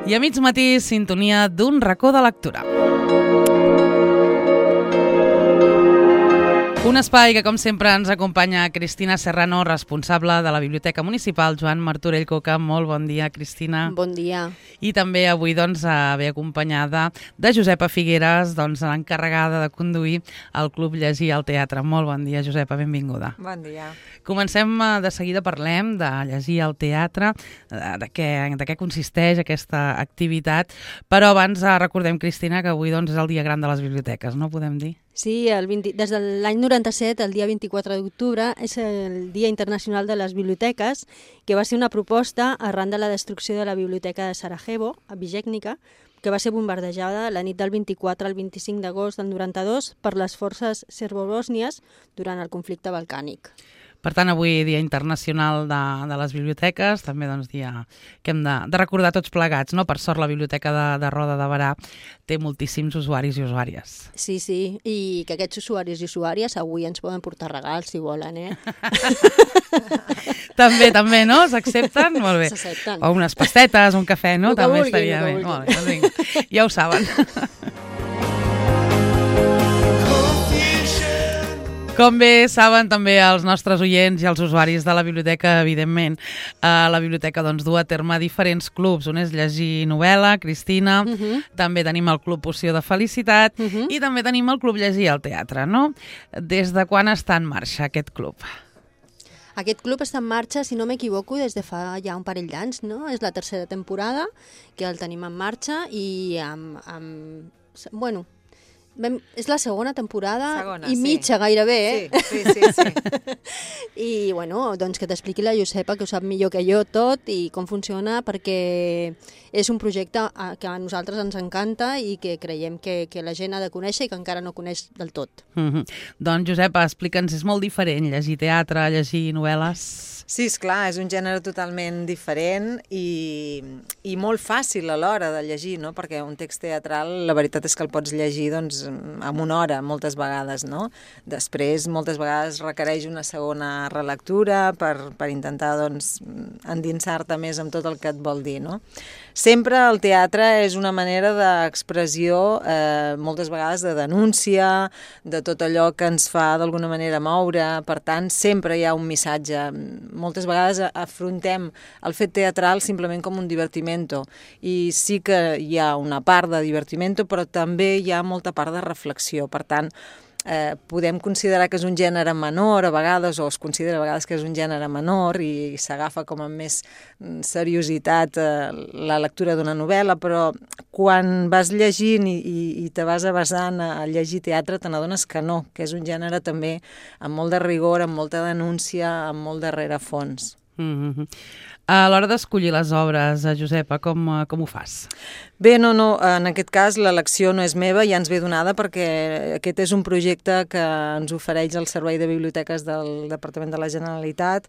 I a mig matí, sintonia d'un racó de lectura. Un espai que, com sempre, ens acompanya Cristina Serrano, responsable de la Biblioteca Municipal Joan Martorell Coca. Molt bon dia, Cristina. Bon dia. I també avui ve acompanyada de Josepa Figueres, l'encarregada de conduir el Club Llegir al Teatre. Molt bon dia, Josepa, benvinguda. Bon dia. Comencem, de seguida parlem de Llegir al Teatre, de què consisteix aquesta activitat, però abans recordem, Cristina, que avui és el dia gran de les biblioteques, no podem dir? Sí, des de l'any 97, el dia 24 d'octubre, és el Dia Internacional de les Biblioteques, que va ser una proposta arran de la destrucció de la Biblioteca de Sarajevo, a Bijeknica, que va ser bombardejada la nit del 24 al 25 d'agost del 92 per les forces serbobòsnies durant el conflicte balcànic. Per tant, avui Dia Internacional de les Biblioteques, també dia que hem de recordar tots plegats, no? Per sort, la Biblioteca de Roda de Berà té moltíssims usuaris i usuàries. Sí, i que aquests usuaris i usuàries avui ens poden portar regals, si volen, També, no? S'accepten? Molt bé. S'accepten. O unes pastetes, un cafè, no? També estaria bé. Molt bé, doncs vinga. Ja ho saben. Com bé saben també els nostres oients i els usuaris de la biblioteca, evidentment, la biblioteca du a terme diferents clubs. Un és llegir novel·la, Cristina, també tenim el Club Poció de Felicitat i també tenim el Club Llegir al Teatre, no? Des de quan està en marxa aquest club? Aquest club està en marxa, si no m'equivoco, des de fa ja un parell d'anys, no? És la tercera temporada que el tenim en marxa i és la segona temporada i mitja gairebé, Sí. I, que t'expliqui la Josepa, que ho sap millor que jo tot i com funciona, perquè és un projecte que a nosaltres ens encanta i que creiem que la gent ha de conèixer i que encara no coneix del tot. Doncs, Josepa, explica'ns, és molt diferent llegir teatre, llegir novel·les? Sí, esclar, és un gènere totalment diferent i molt fàcil a l'hora de llegir, no? Perquè un text teatral, la veritat és que el pots llegir en una hora, moltes vegades, no? Després, moltes vegades requereix una segona relectura per intentar endinsar-te més amb tot el que et vol dir, no? Sempre el teatre és una manera d'expressió, moltes vegades de denúncia, de tot allò que ens fa d'alguna manera moure, per tant, sempre hi ha un missatge. Moltes vegades afrontem el fet teatral simplement com un divertimento i sí que hi ha una part de divertimento, però també hi ha molta part de reflexió. Per tant, podem considerar que és un gènere menor a vegades, o es considera a vegades que és un gènere menor i s'agafa com amb més seriositat la lectura d'una novel·la, però quan vas llegint i te vas avasant a llegir teatre te n'adones que no, que és un gènere també amb molt de rigor, amb molta denúncia, amb molt de rerefons. A l'hora d'escollir les obres, Josepa, com ho fas? Bé, no, en aquest cas l'elecció no és meva, ja ens ve donada perquè aquest és un projecte que ens ofereix el Servei de Biblioteques del Departament de la Generalitat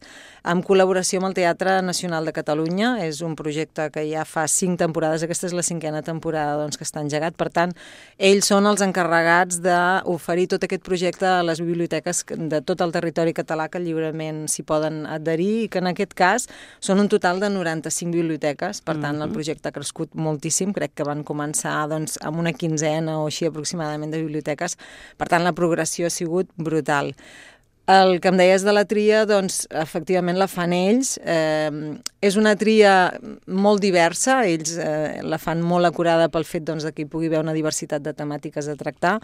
en col·laboració amb el Teatre Nacional de Catalunya. És un projecte que ja fa 5 temporades, aquesta és la 5a temporada que està engegat, per tant, ells són els encarregats d'oferir tot aquest projecte a les biblioteques de tot el territori català que lliurement s'hi poden adherir i que en aquest cas són un total de 95 biblioteques, per tant el projecte ha crescut moltíssim, crec que van començar amb una 15ena o així aproximadament de biblioteques, per tant la progressió ha sigut brutal. El que em deies de la tria, efectivament la fan ells, és una tria molt diversa, ells la fan molt acurada pel fet que hi pugui haver una diversitat de temàtiques a tractar,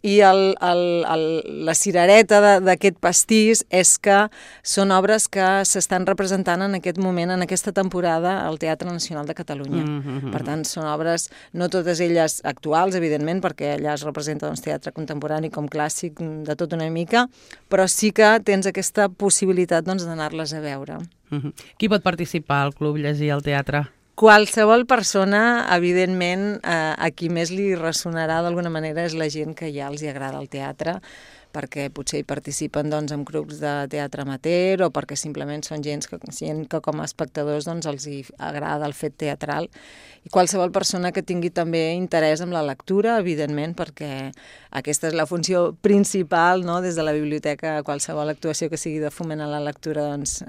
i la cirereta d'aquest pastís és que són obres que s'estan representant en aquest moment, en aquesta temporada, al Teatre Nacional de Catalunya. Per tant, són obres, no totes elles actuals, evidentment, perquè allà es representa teatre contemporani com clàssic de tot una mica, però sí que tens aquesta possibilitat d'anar-les a veure. Qui pot participar al Club Llegir al Teatre? Qualsevol persona, evidentment, a qui més li ressonarà d'alguna manera és la gent que ja els agrada el teatre, perquè potser hi participen doncs, en grups de teatre amateur o perquè simplement són gent que com a espectadors doncs, els hi agrada el fet teatral. I qualsevol persona que tingui també interès en la lectura, evidentment, perquè aquesta és la funció principal, no? Des de la biblioteca, qualsevol actuació que sigui de foment a la lectura, doncs,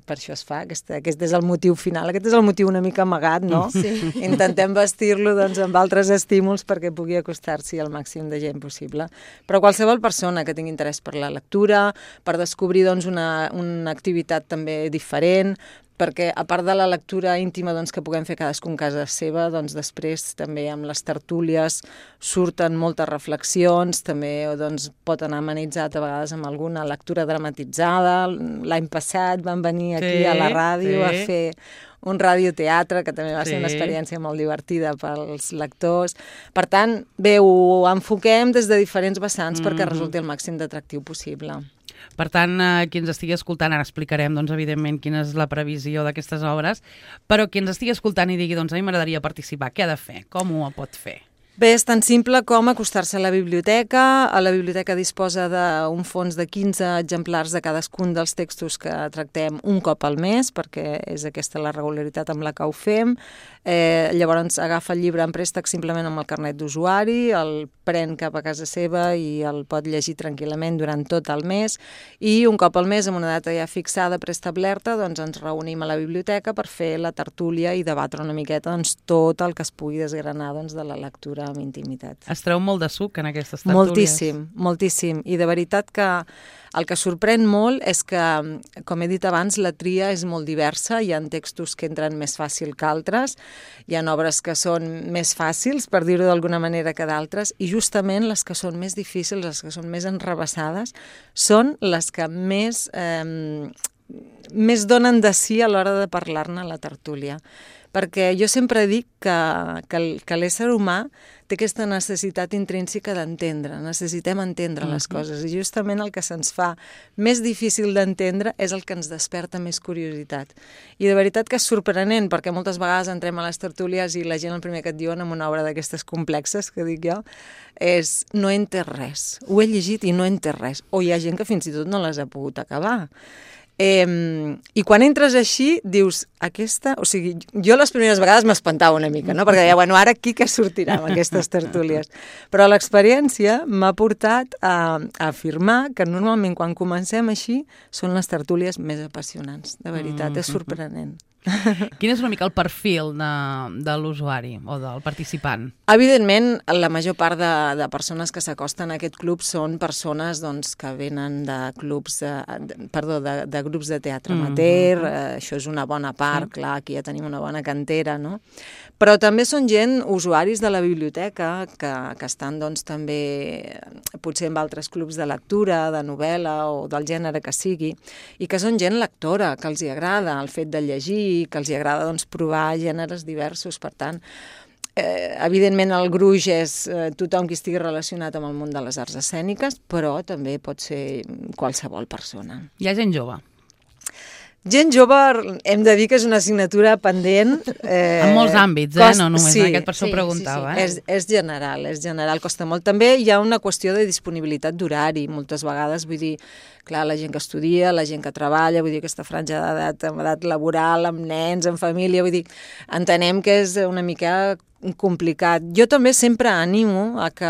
per això es fa. Aquest és el motiu final, aquest és el motiu una mica amagat, no? Sí. Intentem vestir-lo doncs, amb altres estímuls perquè pugui acostar-s'hi al màxim de gent possible. Però qualsevol persona que tingui interès per la lectura, per descobrir doncs, una activitat també diferent, perquè a part de la lectura íntima doncs, que puguem fer cadascun a casa seva, doncs, després també amb les tertúlies surten moltes reflexions, també doncs, pot anar amenitzat a vegades amb alguna lectura dramatitzada. L'any passat van venir aquí a la ràdio a fer un radioteatre, que també va ser una experiència molt divertida pels lectors. Per tant, bé, ho enfoquem des de diferents vessants perquè resulti el màxim d'atractiu possible. Per tant, qui ens estigui escoltant, ara explicarem, doncs, evidentment, quina és la previsió d'aquestes obres, però qui ens estigui escoltant i digui, doncs, a mi m'agradaria participar, què ha de fer? Com ho pot fer? Bé, és tan simple com acostar-se a la biblioteca. A la biblioteca disposa d'un fons de 15 exemplars de cadascun dels textos que tractem un cop al mes, perquè és aquesta la regularitat amb la que ho fem. Llavors agafa el llibre en préstec simplement amb el carnet d'usuari, el pren cap a casa seva i el pot llegir tranquil·lament durant tot el mes. I un cop al mes, amb una data ja fixada, preestablerta, doncs ens reunim a la biblioteca per fer la tertúlia i debatre una miqueta doncs, tot el que es pugui desgranar doncs, de la lectura amb intimitat. Es treu molt de suc en aquestes tertúlies? Moltíssim, moltíssim. I de veritat que el que sorprèn molt és que, com he dit abans, la tria és molt diversa. Hi ha textos que entren més fàcil que altres, hi ha obres que són més fàcils, per dir-ho d'alguna manera, que d'altres, i justament les que són més difícils, les que són més enrevessades, són les que més donen de si a l'hora de parlar-ne a la tertúlia. Perquè jo sempre dic que l'ésser humà té aquesta necessitat intrínseca d'entendre, necessitem entendre les coses, i justament el que se'ns fa més difícil d'entendre és el que ens desperta més curiositat. I de veritat que és sorprenent, perquè moltes vegades entrem a les tertúlies i la gent el primer que et diuen en una obra d'aquestes complexes, que dic jo, és no he entès res, ho he llegit i no he entès res, o hi ha gent que fins i tot no les ha pogut acabar. I quan entres així, dius, o sigui, jo les primeres vegades m'espantava una mica, no? Perquè deia, bueno, ara aquí què sortirà amb aquestes tertúlies? Però l'experiència m'ha portat a afirmar que normalment quan comencem així són les tertúlies més apassionants, de veritat, és sorprenent. Quin és una mica el perfil de l'usuari o del participant? Evidentment, la major part de persones que s'acosten a aquest club són persones doncs, que venen de grups de teatre amateur, això és una bona part, clar, aquí ja tenim una bona cantera, no? Però també són gent, usuaris de la biblioteca, que estan doncs, també potser en altres clubs de lectura, de novel·la o del gènere que sigui, i que són gent lectora, que els hi agrada el fet de llegir, que els hi agrada doncs, provar gèneres diversos. Per tant, evidentment el gruix és tothom qui estigui relacionat amb el món de les arts escèniques, però també pot ser qualsevol persona. Hi ha gent jove? Gent jove, hem de dir que és una assignatura pendent. En molts àmbits, no només en aquest, per això ho preguntava. És general, costa molt. També hi ha una qüestió de disponibilitat d'horari, moltes vegades, vull dir, clar, la gent que estudia, la gent que treballa, vull dir, aquesta franja d'edat, amb edat laboral, amb nens, amb família, vull dir, entenem que és una mica complicat. Jo també sempre animo a que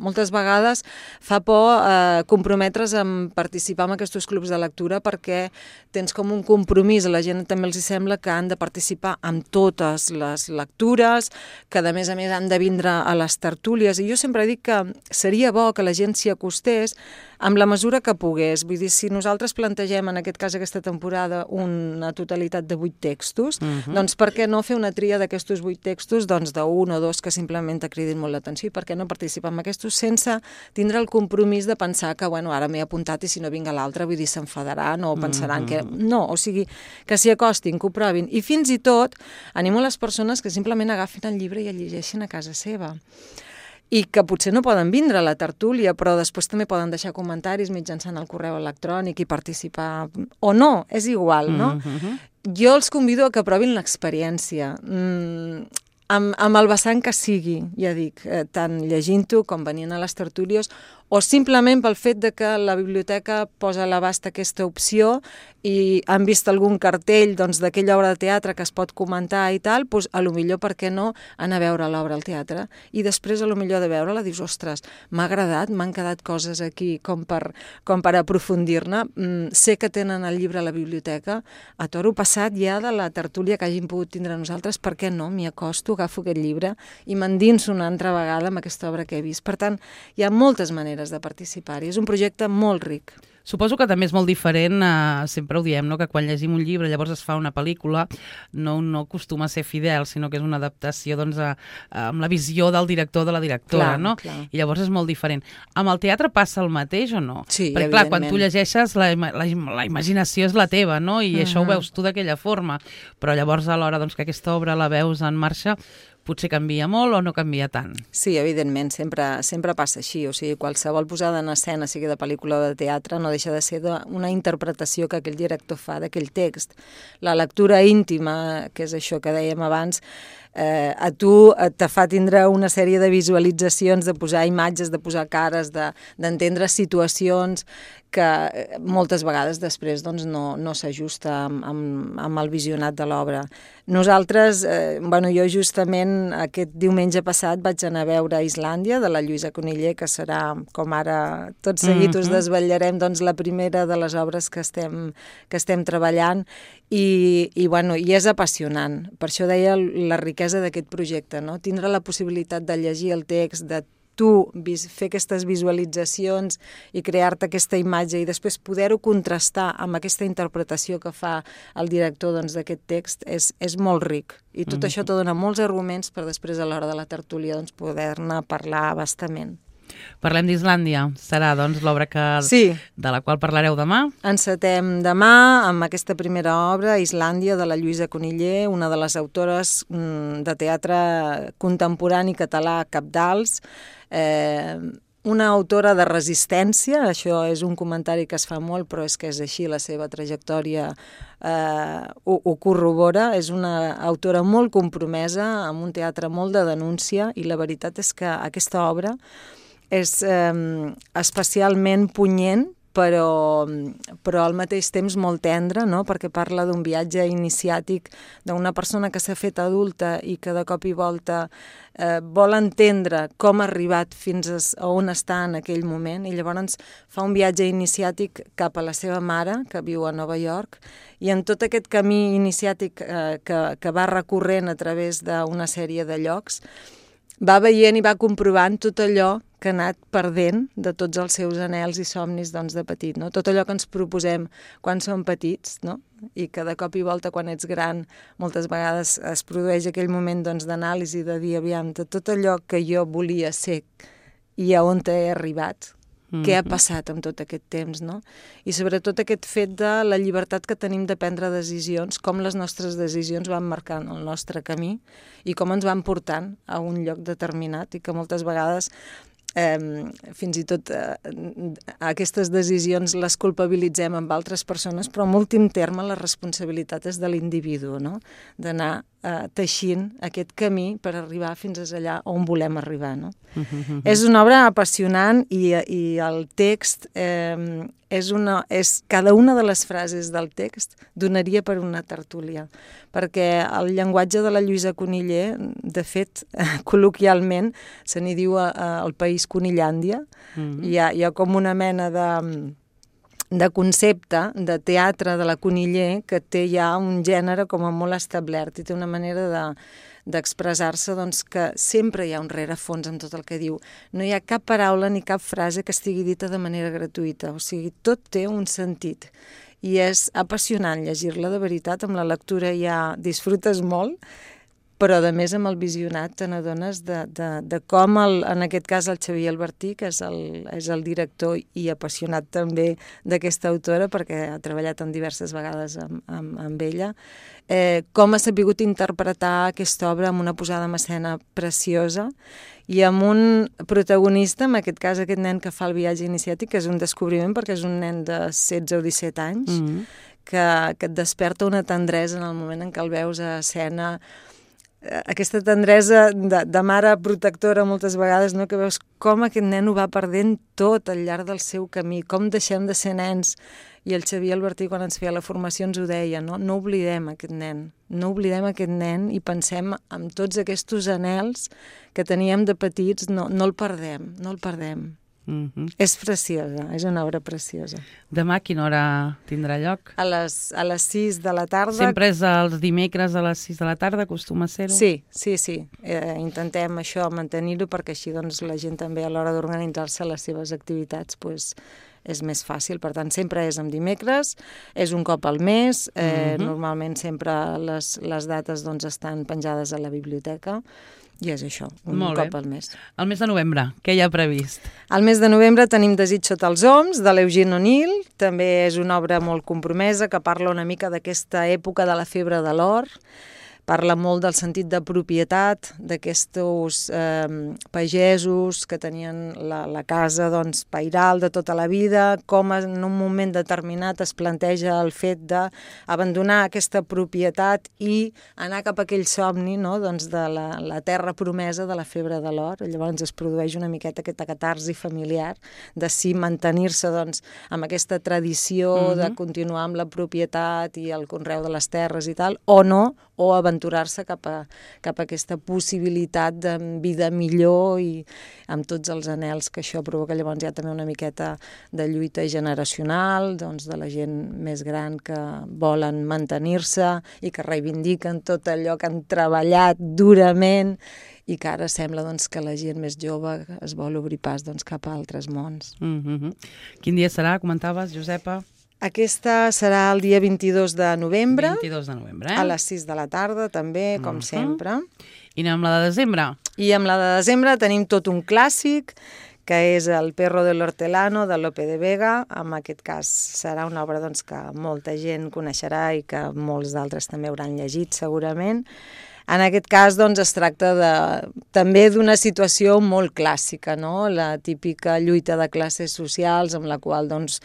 moltes vegades fa por comprometre's en participar en aquests clubs de lectura perquè tens com un compromís, a la gent també els sembla que han de participar en totes les lectures, que a més han de vindre a les tertúlies, i jo sempre dic que seria bo que la gent s'hi acostés amb la mesura que pogués. Vull dir, si nosaltres plantegem, en aquest cas aquesta temporada, una totalitat de 8 textos, doncs per què no fer una tria d'aquests 8 textos, doncs d'un o dos que simplement t'acridin molt l'atenció, i per què no participar en aquests sense tindre el compromís de pensar que, bueno, ara m'he apuntat i si no vinc a l'altre, vull dir, s'enfadaran o pensaran que... No, o sigui, que s'hi acostin, que ho provin. I fins i tot animo les persones que simplement agafin el llibre i el llegeixin a casa seva. I que potser no poden vindre a la tertúlia, però després també poden deixar comentaris mitjançant el correu electrònic i participar, o no, és igual, no? Jo els convido a que provin l'experiència, amb el vessant que sigui, ja dic, tant llegint-ho com venint a les tertúlies, o simplement pel fet de que la biblioteca posa a l'abast aquesta opció i han vist algun cartell d'aquella obra de teatre que es pot comentar i tal, doncs a lo millor, per què no, anar a veure l'obra al teatre. I després, a lo millor de veure-la, dius, ostres, m'ha agradat, m'han quedat coses aquí com per aprofundir-ne. Sé que tenen el llibre a la biblioteca. A toro passat ja de la tertúlia que hàgim pogut tindre nosaltres, per què no? M'hi acosto, agafo aquest llibre i m'endinso una altra vegada amb aquesta obra que he vist. Per tant, hi ha moltes maneres de participar-hi. És un projecte molt ric. Suposo que també és molt diferent, sempre ho diem, no? Que quan llegim un llibre llavors es fa una pel·lícula, no acostuma a ser fidel, sinó que és una adaptació amb la visió del director o de la directora, no? Clar. I llavors és molt diferent. Amb el teatre passa el mateix o no? Sí, perquè, clar, quan tu llegeixes, la imaginació és la teva, no? I això ho veus tu d'aquella forma. Però llavors, a l'hora que aquesta obra la veus en marxa, potser canvia molt o no canvia tant. Sí, evidentment, sempre passa així. O sigui, qualsevol posada en escena, sigui de pel·lícula o de teatre, no deixa de ser una interpretació que aquell director fa d'aquell text. La lectura íntima, que és això que dèiem abans, a tu te fa tindre una sèrie de visualitzacions, de posar imatges, de posar cares, d'entendre situacions que moltes vegades després no s'ajusta amb el visionat de l'obra. Nosaltres, jo justament aquest diumenge passat vaig anar a veure Islàndia, de la Lluïsa Coniller, que serà, com ara tot seguit us desvetllarem, la primera de les obres que estem treballant, i és apassionant. Per això deia la riquesa d'aquest projecte, no? Tindre la possibilitat de llegir el text, de tu fer aquestes visualitzacions i crear-te aquesta imatge i després poder-ho contrastar amb aquesta interpretació que fa el director d'aquest text és molt ric. I tot això te dona molts arguments per després a l'hora de la tertúlia poder-ne parlar bastament. Parlem d'Islàndia. Serà, l'obra de la qual parlareu demà? Encetem demà amb aquesta primera obra, Islàndia, de la Lluïsa Coniller, una de les autores de teatre contemporani català cabdals, una autora de resistència. Això és un comentari que es fa molt, però és que és així, la seva trajectòria ho corrobora. És una autora molt compromesa, amb un teatre molt de denúncia, i la veritat és que aquesta obra és especialment punyent, però al mateix temps molt tendre, no? Perquè parla d'un viatge iniciàtic d'una persona que s'ha fet adulta i que de cop i volta vol entendre com ha arribat fins a on està en aquell moment, i llavors fa un viatge iniciàtic cap a la seva mare, que viu a Nova York, i en tot aquest camí iniciàtic que va recorrent a través d'una sèrie de llocs, va veient i va comprovant tot allò que ha anat perdent de tots els seus anhels i somnis de petit, no? Tot allò que ens proposem quan som petits, no? I que de cop i volta quan ets gran moltes vegades es produeix aquell moment d'anàlisi, de dir, aviam, de tot allò que jo volia ser i a on he arribat, què ha passat amb tot aquest temps, no? I sobretot aquest fet de la llibertat que tenim de prendre decisions, com les nostres decisions van marcant el nostre camí i com ens van portant a un lloc determinat, i que moltes vegades fins i tot aquestes decisions les culpabilitzem amb altres persones, però en últim terme la responsabilitat és de l'individu, no? D'anar teixint aquest camí per arribar fins allà on volem arribar, no? És una obra apassionant, i el text cada una de les frases del text donaria per una tertúlia, perquè el llenguatge de la Lluïsa Coniller, de fet, col·loquialment, se n'hi diu al país Conillàndia. Hi ha com una mena de concepte de teatre de la Coniller que té ja un gènere com a molt establert i té una manera d'expressar-se que sempre hi ha un rerefons amb tot el que diu. No hi ha cap paraula ni cap frase que estigui dita de manera gratuïta, o sigui, tot té un sentit. I és apassionant llegir-la, de veritat, amb la lectura ja disfrutes molt, però a més amb el visionat te n'adones de com, en aquest cas, el Xavier Albertí, que és el director i apassionat també d'aquesta autora, perquè ha treballat en diverses vegades amb ella, com ha sabut interpretar aquesta obra amb una posada en escena preciosa i amb un protagonista, en aquest cas aquest nen que fa el viatge iniciàtic, que és un descobriment perquè és un nen de 16 o 17 anys, que et desperta una tendresa en el moment en què el veus a escena, aquesta tendresa de mare protectora moltes vegades, no? Que veus com aquest nen ho va perdent tot al llarg del seu camí, com deixem de ser nens. I el Xavier Albertí, quan ens feia la formació, ens ho deia, no? No oblidem aquest nen, no oblidem aquest nen i pensem en tots aquests anhels que teníem de petits, no el perdem, no el perdem. És preciosa, és una obra preciosa. Demà a quina hora tindrà lloc? A les 6 de la tarda. Sempre és els dimecres a les 6 de la tarda, acostuma a ser-ho? Sí. Intentem això, mantenir-ho, perquè així doncs, la gent també a l'hora d'organitzar-se les seves activitats és més fàcil. Per tant, sempre és en dimecres, és un cop al mes, normalment sempre les dates doncs, estan penjades a la biblioteca, i és això, un cop al mes. El mes de novembre, què hi ha previst? Al mes de novembre tenim Desig sota els oms, de l'Eugene O'Neill. També és una obra molt compromesa que parla una mica d'aquesta època de la febre de l'or. Parla molt del sentit de propietat d'aquests pagesos que tenien la casa doncs, pairal de tota la vida, com en un moment determinat es planteja el fet d'abandonar aquesta propietat i anar cap a aquell somni, no? Doncs de la terra promesa de la febre de l'or. Llavors es produeix una miqueta aquesta catarsi familiar de si mantenir-se doncs, amb aquesta tradició de continuar amb la propietat i el conreu de les terres i tal, o no, o aventurar-se cap a aquesta possibilitat de vida millor i amb tots els anhels que això provoca. Llavors hi ha també una miqueta de lluita generacional, doncs de la gent més gran que volen mantenir-se i que reivindiquen tot allò que han treballat durament i que ara sembla doncs, que la gent més jove es vol obrir pas doncs, cap a altres mons. Quin dia serà, comentaves, Josepa? Aquesta serà el dia 22 de novembre. 22 de novembre, A les 6 de la tarda, també, com sempre. I anem amb la de desembre? I amb la de desembre tenim tot un clàssic, que és El perro del hortelano, de Lope de Vega. En aquest cas serà una obra doncs, que molta gent coneixerà i que molts d'altres també hauran llegit, segurament. En aquest cas doncs, es tracta també d'una situació molt clàssica, no? La típica lluita de classes socials amb la qual doncs,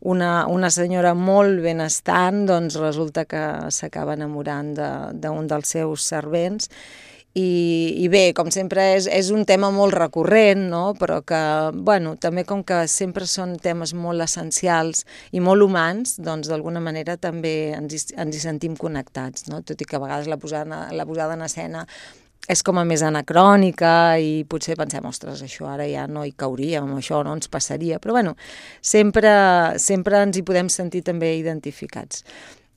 una senyora molt benestant doncs, resulta que s'acaba enamorant d'un dels seus servents. I bé, com sempre, és un tema molt recurrent, no? Però que, bueno, també com que sempre són temes molt essencials i molt humans, doncs d'alguna manera també ens hi sentim connectats, no? Tot i que a vegades la posada en escena és com a més anacrònica i potser pensem, ostres, això ara ja no hi cauríem, això no ens passaria, però bueno, sempre ens hi podem sentir també identificats.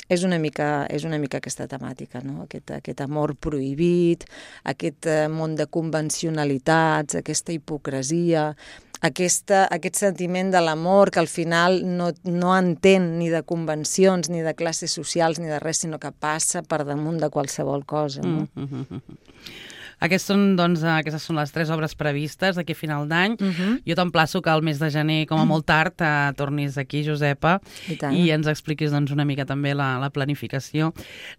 És una mica aquesta temàtica, no? Aquest amor prohibit, aquest món de convencionalitats, aquesta hipocresia, aquest sentiment de l'amor que al final no entén ni de convencions, ni de classes socials, ni de res, sinó que passa per damunt de qualsevol cosa. No? Aquestes són les 3 obres previstes d'aquí a final d'any. Jo t'emplaço que al mes de gener, com a molt tard, tornis aquí, Josepa, i ens expliquis doncs, una mica també la planificació.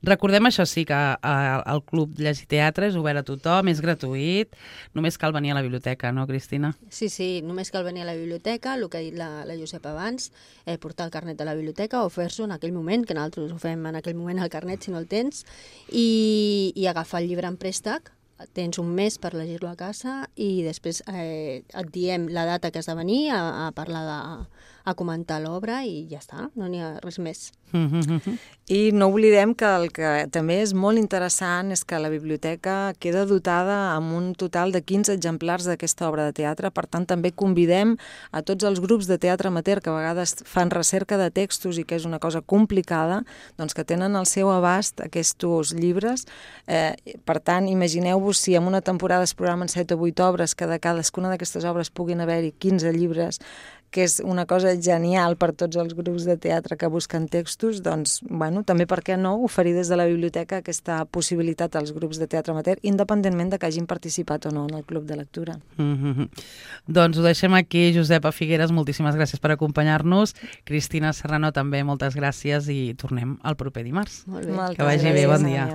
Recordem això sí, que el Club Llegir Teatre és obert a tothom, és gratuït, només cal venir a la biblioteca, no, Cristina? Sí, només cal venir a la biblioteca, el que ha dit la Josepa abans, portar el carnet a la biblioteca o fer-s'ho en aquell moment, que nosaltres ho fem en aquell moment el carnet si no el tens, i agafar el llibre en préstec. Tens un mes per llegir-lo a casa i després et diem la data que has de venir a parlar, a comentar l'obra i ja està, no n'hi ha res més. I no oblidem que el que també és molt interessant és que la biblioteca queda dotada amb un total de 15 exemplars d'aquesta obra de teatre, per tant també convidem a tots els grups de teatre amateur que a vegades fan recerca de textos i que és una cosa complicada, doncs que tenen al seu abast aquests llibres. Per tant, imagineu-vos si en una temporada es programen 7 o 8 obres, que de cadascuna d'aquestes obres puguin haver-hi 15 llibres, que és una cosa genial per tots els grups de teatre que busquen textos, doncs, bueno, també per què no oferir des de la biblioteca aquesta possibilitat als grups de teatre amateur, independentment de que hagin participat o no en el club de lectura. Doncs ho deixem aquí, Josepa Figueres, moltíssimes gràcies per acompanyar-nos. Cristina Serrano, també moltes gràcies i tornem el proper dimarts. Molt bé. Que vagi bé, bon dia.